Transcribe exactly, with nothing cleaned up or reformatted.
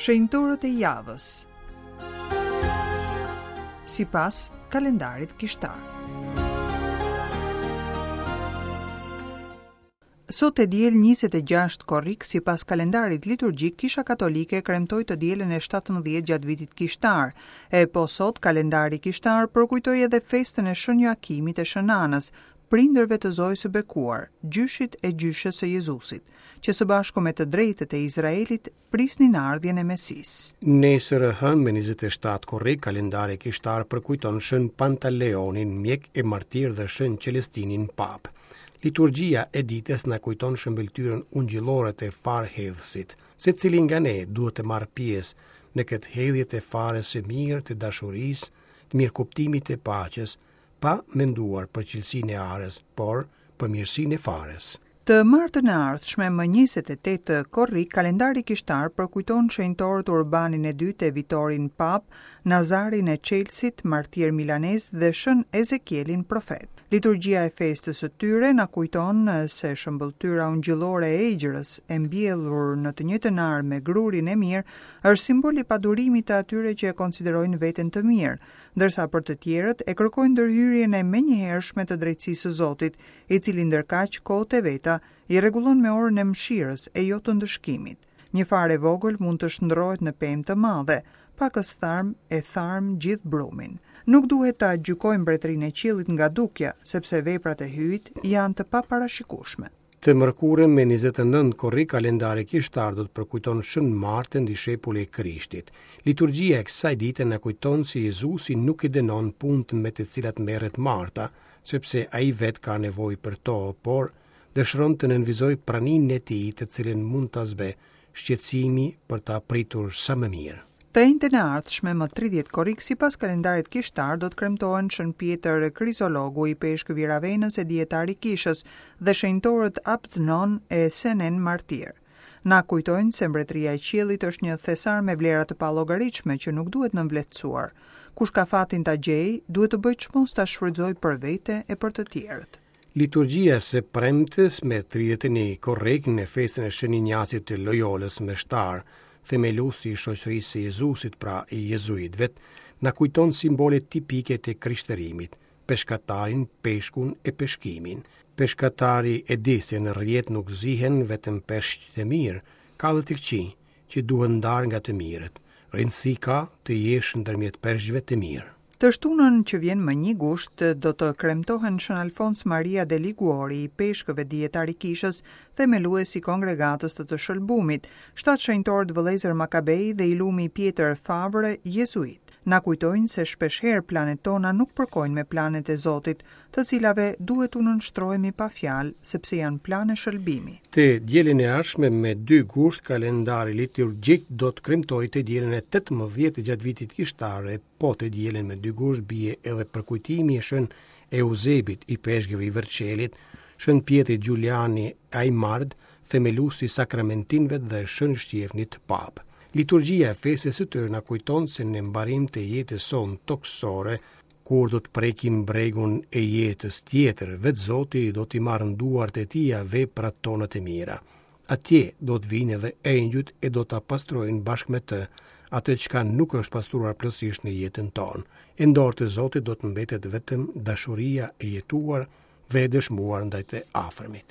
Shenjtorët e javës sipas kalendarit kishtar. Sot e diel njëzet e gjashtë korrik, sipas kalendarit liturgjik, Kisha Katolike kremtoi të dielën e shtatëmbëdhjetë gjatë vitit kishtar. E po sot kalendari kishtar përkujtoi edhe festën e Shën Joakimit e Shën Anës, prindërve të Zojës së Bekuar, gjyshit e gjyshes së Jezusit, që së bashku me të drejtët e Izraelit prisnin ardhjen e Mesisë. Nesër e hënë me njëzet e shtatë korrik, kalendari kishtar përkujton Shën Pantaleonin, mjek e martir dhe Shën Celestinin papë. Liturgjia e ditës na kujton shëmbëlltyrën ungjillore të farë hedhësit. Secili nga ne duhet të marrë pjesë në këtë hedhje të farës së mirë, të dashurisë, të mirëkuptimit të paqes, pa menduar për cilësinë e arës, por për mirësinë e farës. Të martën e ardhshme, më njëzet e tetë korrik, kalendari kishtar përkujton shenjtorët Urbanin e dytë e Vitorin Pap, Nazarin e Çelësit, martir milanez dhe Shën Ezekielin profet. Liturgjia e festës së tyre na kujton se shëmbëlltyra ungjillore e egjrës, e mbjellur në të njëjtën arë me grurin e mirë, është simbol i padurimit të atyre që e konsiderojnë veten të mirë, ndërsa për të tjerët e kërkojnë ndërhyrjen e menjëhershme të drejtësisë së Zotit, i cili ndërkaq kohët e veta i rregullon me orën e mëshirës e jo të ndëshkimit. Një farë e vogël mund të shndrohet në pemë të madhe, pakës tharm e tharm gjithë brumin. Nuk duhet ta gjykojmë mbretërinë e qiellit nga dukja, sepse veprat e Hyjit janë të paparashikueshme. Të mërkurën me njëzet e nëntë korrik, kalendari kishtar do të përkujton Shën Martën, dishepulli e Krishtit. Liturgjia e kësaj dite na kujton se Jezusi nuk i dënon punët me të cilat merret Marta, sepse ai vetë ka nevojë për to, por dëshiron të nënvizojë praninë e tij, të cilën mund ta zbeh shqetësimi për ta pritur sa më mirë. Të enjten e ardhshme, më tridhjetë korrik, sipas kalendarit kishtar, do të kremtohen Shën Pjetër Krizologu, i peshkëvi i Ravenës e dijetari i kishës, dhe shenjtorët Abdnon e Senen Martir. Na kujtojnë se mbretëria e qiellit është një thesar me vlera të pallogaritshme që nuk duhet nënvlerësuar. Kush ka fatin ta gjejë, duhet të bëjë çmos ta shfrytëzojë për vete e për të tjerët. Liturgjia së premtes me tridhjetë e një korrik në festën e Shën Injacit të Loyolës me shtar, themeluesi i shoqërisë së Jezusit, pra i jezuitëve, na kujton simbolet tipike të krishterimit, peshkatarin, peshkun e peshkimin. Peshkatari e di se në rrjet nuk zihen vetëm peshqit e mirë, ka dhe të këqij që duhen ndarë nga të mirët. Rëndësi ka të jesh ndërmjet peshqve të mirë. Të shtunën që vjen më një gusht do të kremtohen Shën Alfons Maria de Liguori, i peshkëve dijetar i kishës, themelues i kongregatës të të Shëlbumit, shtatë shenjtorët vëllezër Makabej dhe i lumi Pjetër Favre, jezuit. Na kujtojnë se shpeshherë planet tona nuk përkojnë me planet e Zotit, të cilave duhet u nënshtrohemi pa fjalë, sepse janë plane shëlbimi. Të dielën e ardhshme me dy gusht, kalendari liturgjik do të kremtojë të dielën e tetëmbëdhjetë gjatë vitit kishtar, e po të dielën me dy gusht bie edhe përkujtimi i Shën Eusebit, i peshkëve i Verçelit, Shën Pjetrit Giuliani Aimard, themeluesi i sakramentinëve dhe Shën Shtjefnit Papë. Liturgjia e festës së tyre na kujton se në mbarim të jetës sonë tokësore, kur do të prekim bregun e jetës tjetër, vetë Zoti do t'i marrë në duart e tija veprat tona të mira. Atje do të vinë edhe engjujt e do ta pastrojnë bashkë me të atë çka nuk është pastruar plotësisht në jetën tonë. E në dorë të Zotit do të mbetet vetëm dashuria e jetuar dhe e dëshmuar ndaj të afërmit.